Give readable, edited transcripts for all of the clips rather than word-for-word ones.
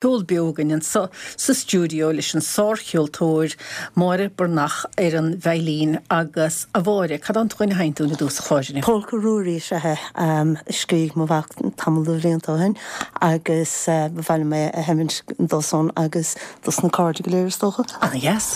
Ceol beo againn anseo sa stiúideo leis an sárcheoltóir Máire Breathnach ar an veidhlín agus, a Mháire, cad é an dtugann a sheinnt dúinn i dtús an chláir inniu? Polca Ruairí is ea é, a scrígh mo mhac tamall de bhlianta ó shin agus ba mhaith liom é a sheimint dó-san agus dos na cairde go léir is dócha. Ana dheas.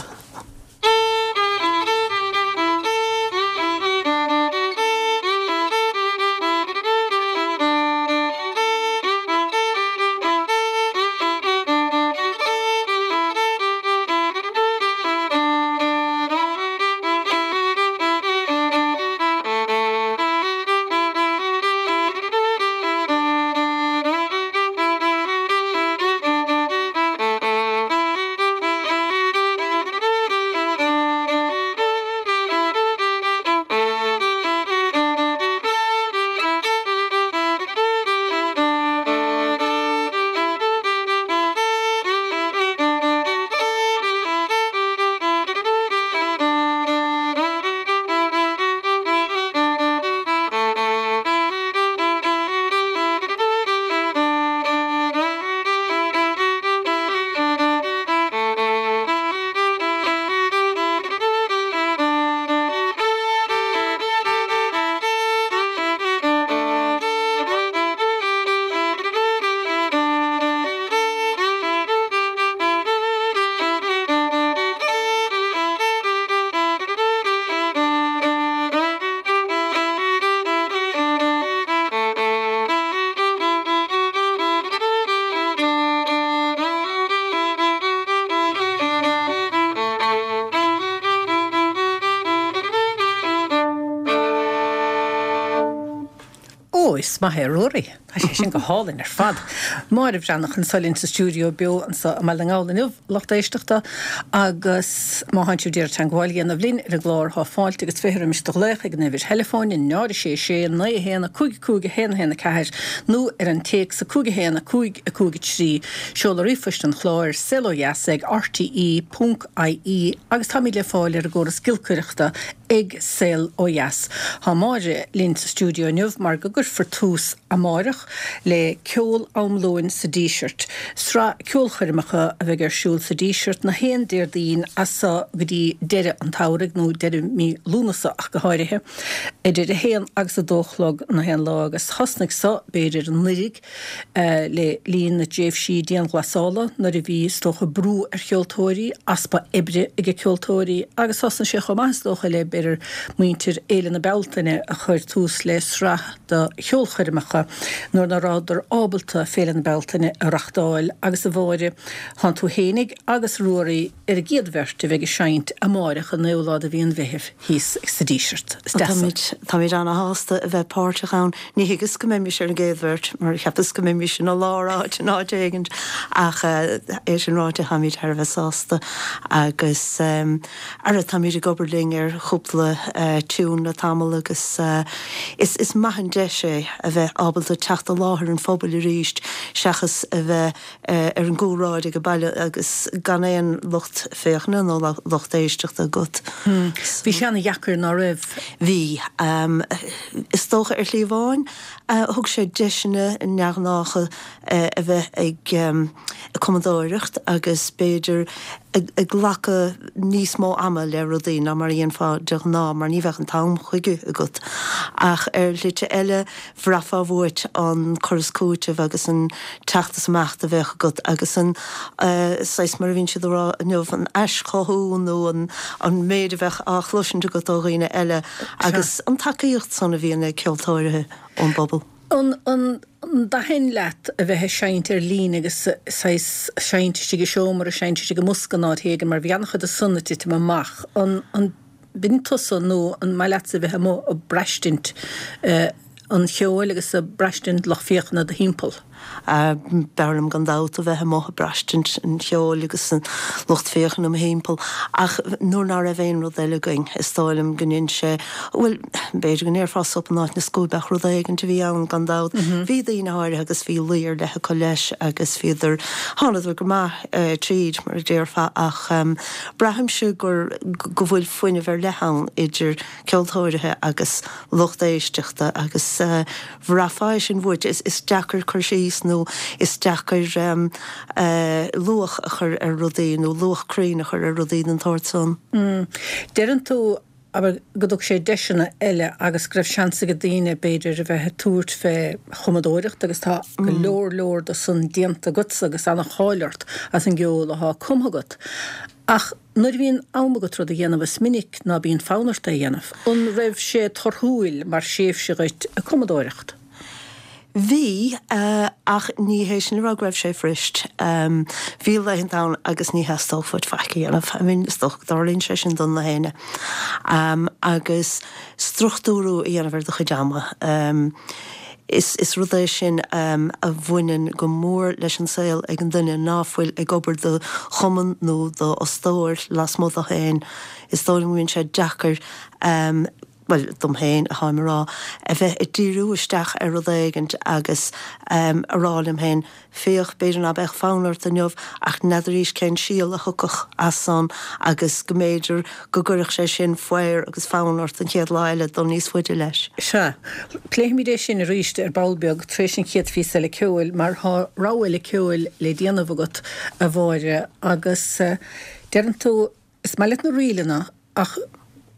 Ó, is maith é Ruairí. Tá sé sin go hálainn ar fad. Máire Bhreathnach anseo linn sa stiúideo beo anseo i mBaile na nGall inniu, lucht éisteachta, agus má thánn sibh d'iarraidh teagmháil a dhéanamh linn ar an gclár thá fáilte agus 20 roimis do ghlaoch ag an uimhir theileafóin 0 6 6 9 1 5 5 1 1 4 nó ar an téacs 5 1 5 5 3. Seoladh ríomhphoist an chláir, saolodheas ag rte ponc ie agus táimid le fáil ar an gcóras giolcaireachta ag Saol Ó Dheas. Tá Máire linn sa stiúideo inniu mar go gcuirfear tús amáireach le Ceol Am Lóin sa Díseart, sraith ceolchoirmeacha a bheidh ar siúl sa Díseart na haon Déardaoin as seo go dtí deireadh an tsamhraidh, nó deireadh mí Lúnasa ach go háirithe, idir a haon agus a dó a chlog na haon lá agus thosnaigh so, b'fhéidir, anuiridh. Le linn na dtréimhsí dianghlasála nuair a bhí, is dócha, brú ar cheoltóirí, easpa oibre ag ceoltóirí agus thosnaigh sé chomh maith, is dócha, le, b'fhéidir, muintir Fhéile na Bealtaine a chuir tús le sraith de cheolchoirmeacha nuair ná rabhadar ábalta Féile na Bealtaine a reachtáil agus a Mháire, thánn tú fhéinig agus Ruairí ar an gcéad bheirt a bheidh ag seinnt amáireach an 9ú lá de mhí an Mheithimh thíos sa Díseart. Is deas an. Táimid ana-shásta a bheith páirteach ann. Ní thuigeas go mbeimis ar an gcéad bheirt, mar cheapas go mbeimis ina lár áit in áit éigint, ach é sin ráite, táimid thar a bheith sásta agus ara táimid ag obair linn ar chúpla tiún le tamall agus is is maith an deis é a bheith ábalta teacht i láthair an phobail arís seachas a bheith ar an gcúlráid ag baile agus gan aon lucht féachana nó lucht éisteachta agat. Bhí sé ana-dheacair, ná raibh? Bhí. Is dócha ar shlí amháin thug sé deiseanna neamhghnácha a bheith ag cumadóireacht agus b'fhéidir ag glacadh níos mó ama le rudaí ná mar a dhéanfá de ghnáth mar ní bheadh an t-am chuige agat. Ach ar shlite eile bhraithfeá uait an cur is cúiteamh agus an teacht is imeacht a bheadh agat agus an saghas, mar a bhíonn siad a rá inniu, an aischothú nó an méid a bheadh á chloisint agat ó dhaoine eile agus an tacaíocht san a bhíonn ag ceoltóirithe ón bpobal. An dtaithin leat a bheith ag seinnt ar líne agus saghas seinnt istigh i seomra, seinnt istigh i mbosca in áit éigin mar bhí an-chuid de san ag titim amach. An. B'in tusa nó an maith leatsa a bheith amuigh ag braistint an cheoil agus ag braistint lucht féachana i do thimpeall? B'fhearr liom gan dabht a bheith amuigh ag braistint an cheoil agus an lucht féachana i mo thimpeall. Ach nuair ná raibh aon rud eile againn, is dóigh liom go ndein sé, bhuel, b'fhéidir go ndéarfá sop in áit na scuaibe ach rud éigint a bhí ann gan dabht. Bhí daoine áirithe agus bhí luí ar leith acu leis agus bhíodar, thánadar go maith tríd, mar a déarfá, ach. Braithimse gur go bhfuil fuinneamh ar leith ann idir ceoltóirithe agus lucht éisteachta agus bhraithfeá é sin uait. Is deacair cur síos. síos nó is deacair luach a chur ar rudaí nó luach cruinn a chur ar rudaí den tsórt san. Deireann tú, abair, go dtug sé deiseanna eile agus go raibh seans ag daoine, b'fhéidir, a bheith ag tabhairt fé chumadóireacht agus tá go leor leor de san déanta agatsa agus ana-cháil ort as an gceol athá cumtha agat. Ach nuair a bhíonn am agat rud a dhéanamh is minic ná bíonn fonn ort é a dhéanamh. An raibh sé torthúil mar thréimhse dhuit ag cumadóireacht? Bhí, ach ní hé sin le rá go raibh sé fuirist. Bhí laethanta ann agus ní theastódh uait faic a dhéanamh. I mean, is dócha go dtarlaíonn sé sin do na héinne. Agus struchtúrú a dhéanamh ar do chuid ama. Is, is rud é sin a bhaineann go mór leis an saol ag an duine ná fuil ag obair do chumann nó do fhostóir lasmuigh dó féin. Is dóigh liom go mbíonn sé deacair, bhuel, dom féin atáim a rá, a bheith ag díriú isteach ar rud éigint agus a rá liom féin, féach, b'fhéidir ná beadh fonn ort inniu ach n'fheadaraís cén síol a thiocfadh as san agus go mb'fhéidir go gcuirfeadh sé sin faobhar agus fonn ort an chéad lá eile dul níos faide leis. Sea. Pléifimid é sin arís ar ball beag tar éis an chéad phíosa eile ceoil mar tá rogha eile ceoil le déanamh agat, a Mháire, agus deireann tú, Is maith leat na ríleanna ach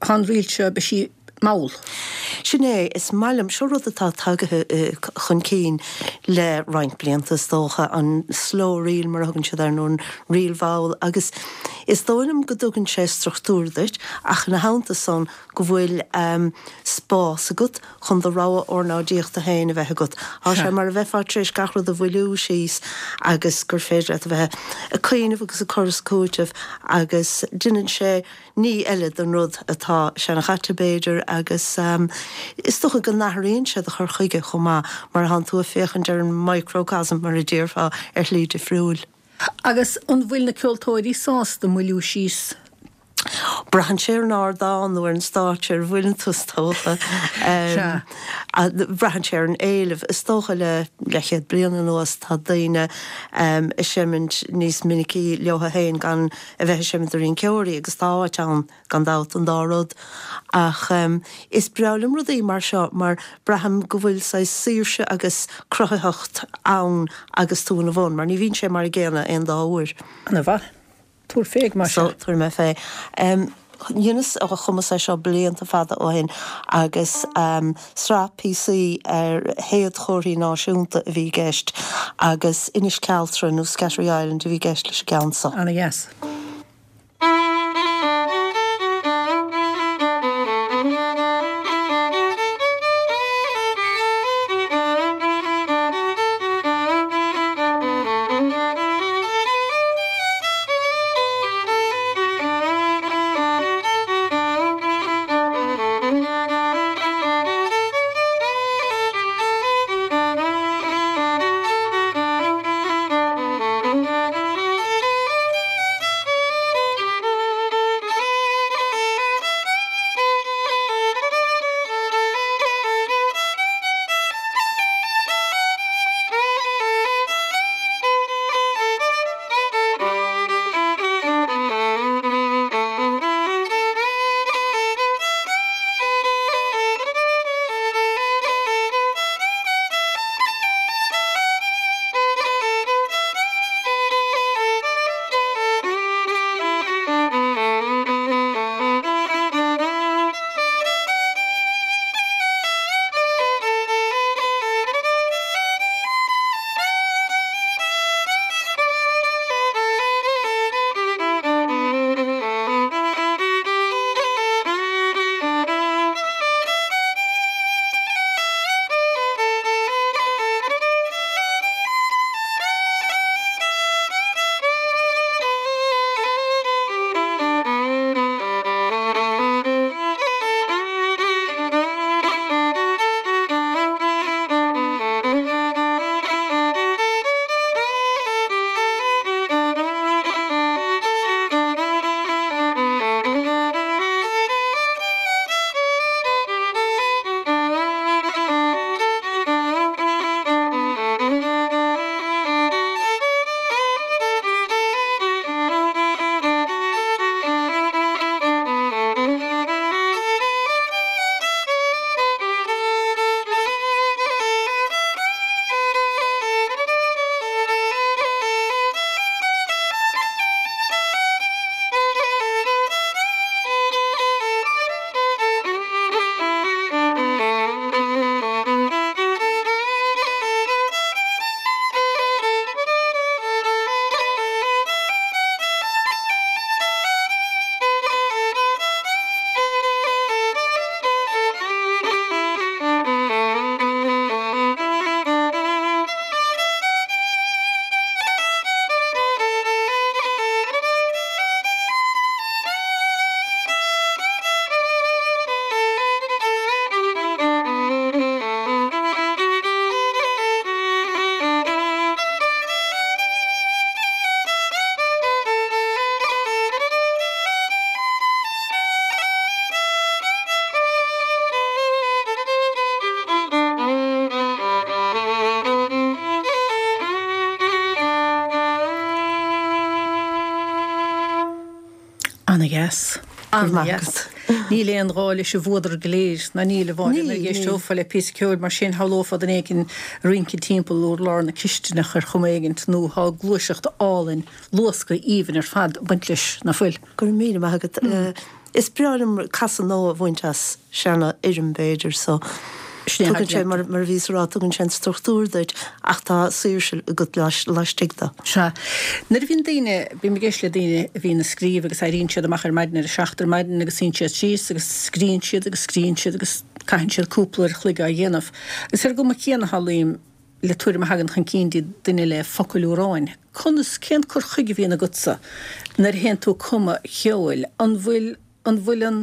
tá an ríl seo, beidh sí mall. Sin é, is maith liom, seo rud atá tagaithe chun cinn le roinnt blianta is dócha, an slow reel mar a thugann siad air nó an ríl mhall agus is dóigh liom go dtugann sé struchtúr duit ach ina theannta san go bhfuil spás agat chun do rogha ornáidíochta féin a bheith agat. Tá sé mar a bheifeá tar éis gach rud a mhoilliú síos agus gur féidir leat a bheith ag cuimhneamh agus ag cur is ag cúiteamh agus déanann sé ní eile den rud atá seanchaite b'fhéidir agus is dócha go n-athraíonn sé do chur chuige chomh maith mar tánn tú ag féachaint ar an microcosm mar a déarfá ar shlí difriúil. Agus an bhfuil na ceoltóirí sásta moilliú síos? Braitheann sé ar an ardán nó ar an stáitse ar a bhfuileann tú, is dócha. Sea. Braitheann sé ar an éileamh. Is dócha le leathchéad bliain anuas tá daoine ag seimint níos minicí leo féin gan a bheith ag seimint do rinceoirí agus tá áit ann gan dabht don dá rud. Ach is breá liom rudaí mar seo mar braithim go bhfuil saghas saoirse agus cruthaitheacht ann agus tú ina bhun mar ní bhíonn sé mar an gcéanna aon dá uair. Ana mhaith. Tabhair fé, mar sin. So, tabharfaidh mé fé. Dheineas, chumas é seo blianta fada ó shin agus sraith píosaí ar shéadchomharthaí náisiúnta a bhí i gceist agus Inis Cealtra nó Scattery Island a bhí i gceist leis an gceann so. Ana dheas. Ana-dheas. Ana-dheas. Níl aon ghá leis an bhfuadar go léir, ná níl, a Mháire, nuair a d'éisteofá le píosa ceoil mar sin, shamhlófá duine éigin ag rince timpeall urlár na cistineach ar chuma éigint, nó tá gluaiseacht álainn, luascadh aoibhinn ar fad ag baint leis, ná fuil? Go raibh míle maith agat. Is breá liom casadh nua a bhaint as seana fhoirm b'fhéidir so tugann sé, mar a bhíos a rá, tugann sé an struchtúr duit ach tá saoirse agat laistigh de. Sea. Nuair a bhíonn daoine, bím ag éisteacht le daoine a bhíonn ag scríobh agus éiríonn siad amach ar maidin ar a seacht ar maidin agus suíonn siad síos agus scríonn siad agus scríonn siad agus caitheann siad cúpla uair a chloig á dhéanamh. Agus ar an gcuma chéanna shamhlaím le tuairim a thagann chun cinn do duine le focail amhráin. Conas, cén cur chuige a bhíonn agatsa nuair a théann tú ag cumadh ceoil? An bhfuil, an bhfuil an,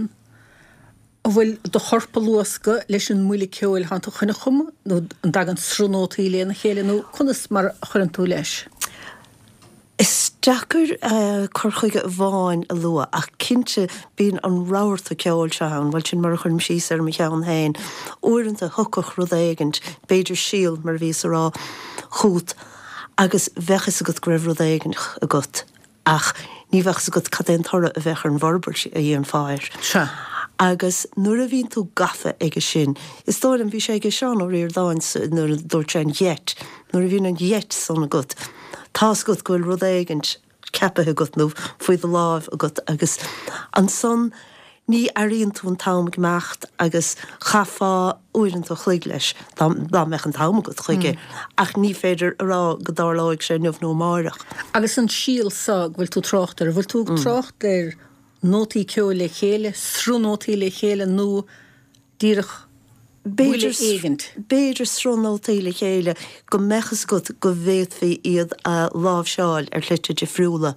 an bhfuil do chorp ag luascadh leis an mbuille ceoil atánn tú chun a chumadh nó an dtagann sruth nótaí lena chéile nó conas mar a chuireann tú leis? Is deacair cur chuige amháin a lua ach cinnte bíonn an rabharta ceoil seo ann, bhuel sin mar a chuirim síos air i mo cheann féin. Uaireanta thiocfadh rud éigint, b'fhéidir síol mar a bhíos a rá, chugat agus bheadh fhios agat go raibh rud éigint agat ach ní bheadh fhios agat cad é an toradh a bheadh ar an bhforbairt a dhéanfá air. Sea. Agus nuair a bhíonn tú gafa aige sin, is dóigh liom, bhí sé aige Seán Ó Ríordáin nuair a dúirt sé an gheit, nuair a bhíonn an gheit san agat, tá's agat go bhfuil rud éigint ceapaithe agat nó faoi do láimh agat agus ansan ní airíonn tú an t-am ag imeacht agus chaithfeá uaireanta a chloig leis dá mbeadh an t-am agat chuige ach ní féidir a rá go dtarlóidh sé inniu nó amáireach. Agus an síol so go bhfuil tú ag trácht air, an bhfuil tú ag trácht ar nótaí ceoil le chéile, sruth nótaí le chéile nó díreach buille éigint. B'fhéidir sruth nótaí le chéile go mbeadh fhios agat go bhféadfaí iad a láimhseáil ar shlite difriúla,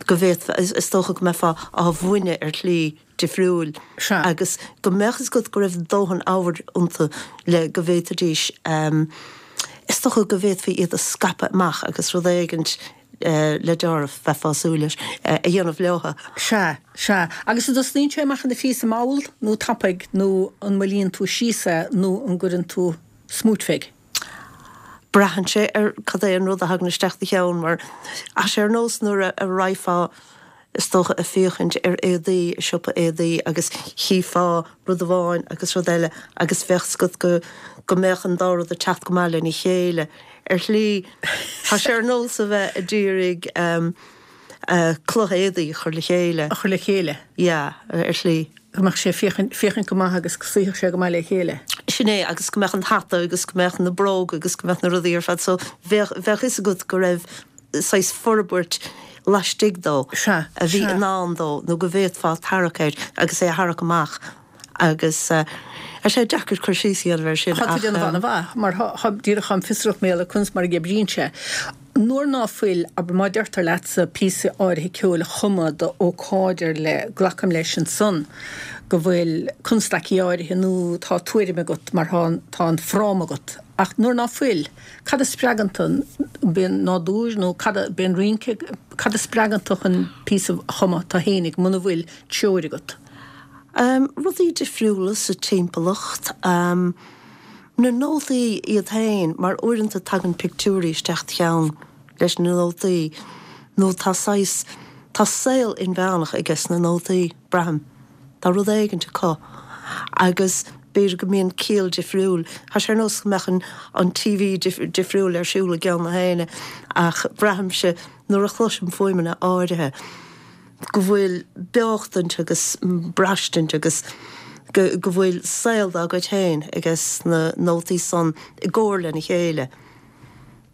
go bhféadfá, is dócha go mbeifeá á bhfuineadh ar shlí difriúil agus go mbeadh fhios agat go raibh dóthain ábhair iontu le go bhféadfaidís, is dócha go bhféadfaí iad a scaipeadh amach agus rud éigint le deáramh, bheifeá ag súil leis, a dhéanamh leo. Sea, sea. Agus an dtosnaíonn sé amach ina phíosa mall nó tapaidh nó an moillíonn tú síos é nó an gcuireann tú smúit fé? Braitheann sé ar cad é an rud a thagann isteach do cheann mar tá sé ar nós nuair a raghfá is dócha ag féachaint ar éadaí i siopa éadaí agus chífeá rud amháin agus rud eile agus bheadh 's agat go go mbeadh an dá rud ag teacht go maith lena chéile. Ar shlí, tá sé ar nós a bheith a d'iarraidh cloch éadaí a chur le chéile. A chur le chéile. Yeah, ar shlí. Go mbeadh sé féachaint, féachaint go maith agus go suífeadh sé go maith le chéile. Sin é, agus go mbeadh an hata agus go mbeadh na bróga agus go mbeadh na rudaí ar fad so bheadh, bheadh 'fhios agat go raibh saghas forbairt laistigh dó Sea, a bhí i ndán dó nó go bhféadfá tarrac air agus é a tharrac amach agus tá sé deacair cur síos a dhéanamh air sin Tá tú ag déanamh an-mhaith mar tá díreach táim fiosrach mar gheall ar conas mar a oibríonn sé. Nuair ná fuil, abair má deirtear leatsa píosa áirithe ceoil a chumadh do ócáid ar leith, glacaim leis ansan go bhfuil constaicí áirithe nó tá tuairim agat mar tá tá an fráma agat. Ach nuair ná fuil, Cad a spreagann tú, an b'é an nádúr nó cad a, b'é an rince, cad a spreagann tú chun píosa a chumadh tú fhéinig muna bhfuil treoir agat? Rudaí difriúla sa timpeallacht, na nótaí iad féin mar uaireanta tagann pictiúirí isteach 'd cheann leis na nótaí nó tá saghas, tá saol inmheánach aiges na nótaí, braithim. Tá rud éigint acu agus b'fhéidir go mbíonn ciall difriúil. Tá sé ar nós go mbeadh an TV difriúil ar siúl i gceann na héinne ach braithimse nuair a chloisim fuaimeanna áirithe go bhfuil beochtaint agus braistint agus go go bhfuil saol dá gcuid féin aiges na nótaí san i gcomhar lena chéile.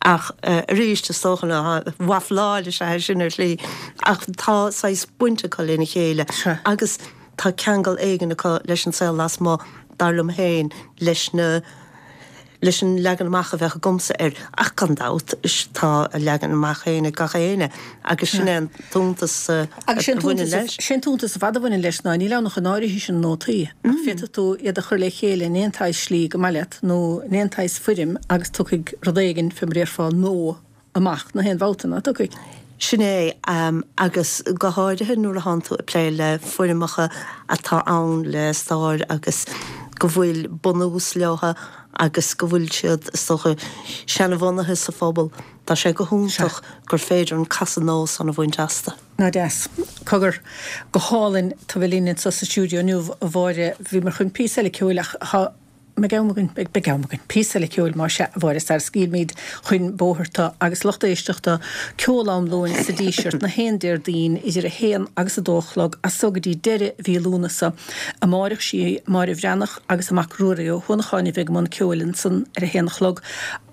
Ach arís, is dócha ná wafláil is ea é sin ar shlí, ach tá saghas baint acu lena chéile agus tá ceangal éigin acu leis an saol lasmuigh, dar liom féin, leis na, leis an leagan amach a bheadh agamsa air. Ach gan dabht, tá a leagan amach féin ag gach éinne agus sin é an t-iontas a bhaineann leis. Sé an t-iontas ar fad a bhaineann leis ná níl ann ach an áirithe sin nótaí, ach féadfaidh tú iad a chur le chéile in aon tsaghas slí go maith leat. nó in aon tsaghas foirm agus tiocfaidh rud éigin, fé mar a déarfá, nua amach na haon bhabhta, ná tiocfaidh? Sin é, agus go háirithe nuair a thánn tú ag plé le foirmeacha atá ann le stair agus go bhfuil bunús leo. agus go bhfuil siad, is dócha, seanabhunaithe sa phobal. Tá sé go hiontach gur féidir an casadh nós san a bhaint astu. Ná deas. Cogar, go hálainn tú a bheith linn anseo sa stiúideo inniu, a Mháire. Bhíomar chun píosa eile ceoil ach tá, mbeidh am againn, beidh, beidh am againn. Píosa eile ceoil más ea, a Mháire, sara scaoilmid chun bóthair tú agus lucht éisteachta, ceol am lóin sa Díseart, na haon Déardaoin idir a haon agus a dó a chlog as so go dtí deireadh mhí Lúnasa. Amáireach sí Máire Bhreathnach agus a mac Ruairí Ó hUanacháin a bheidh i mbun ceoil ansan ar a haon a chlog.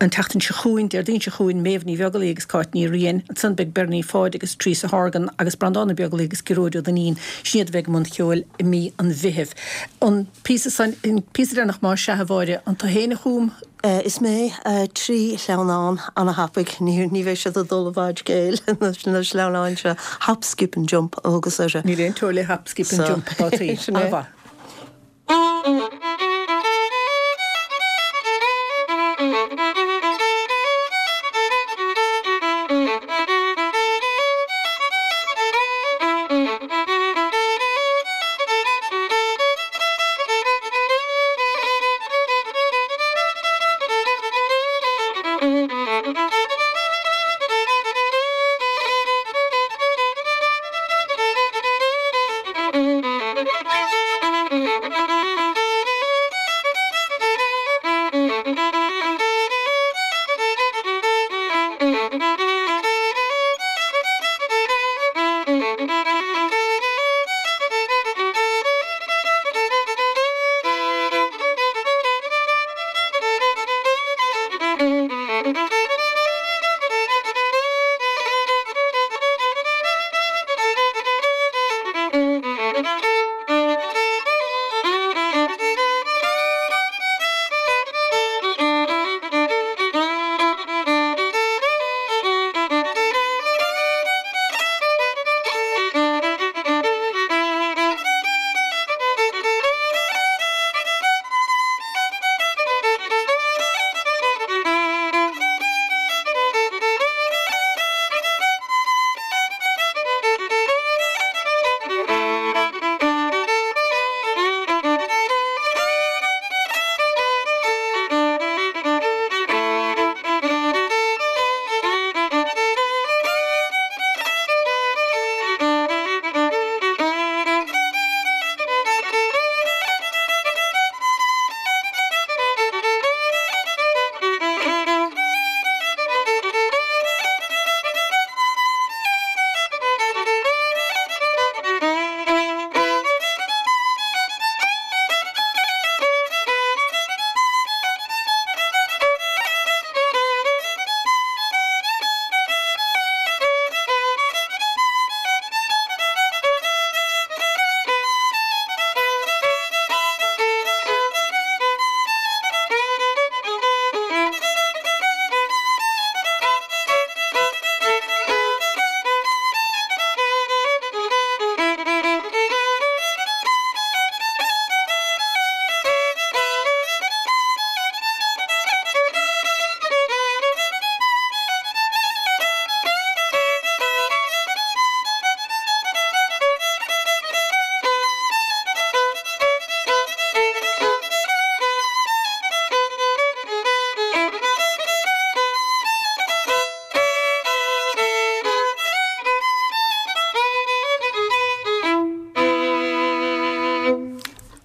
An tseachtain seo chugainn, Déardaoin seo chugainn, Méabh Ní Bheaglaoí agus Cáit Ní Riain. Ansan beidh Bernie Pháid agus Teresa Horgan agus Breandán Ó Beaglaoí agus Gearóid Ó Duinnín. Sin iad a bheidh i mbun cheoil i mí an Mheithimh. An píosa san, an píosa deireanach más ea, a Mháire, an tú fhéin a chum? Is mé. 3 shleamhnán ana-thapaidh. Ní bheidh siad ag dul i bhfad scéil, na sleamhnáin seo. Hop, skip and jump a thugas orthu. Níl aon teora le hop, skip and jump atá Sin é. An-mhaith.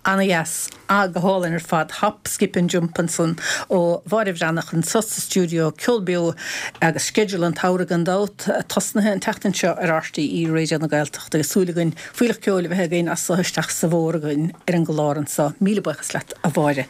Ana-dheas. Ah, go hálainn ar fad. Hop, skip and jump ansan ó Mháire Bhreathnach anso sa stiúideo, Ceol Beo agus sceideal an tsamhraidh gan dabht tosnaithe an tseachtain seo ar RTÉ Raidió na Gaeltachta agus súil againn fuílleach ceoil a bheith againn as so isteach sa bhfómhar againn ar an gclár anso. Míle buíochas leat a Mháire.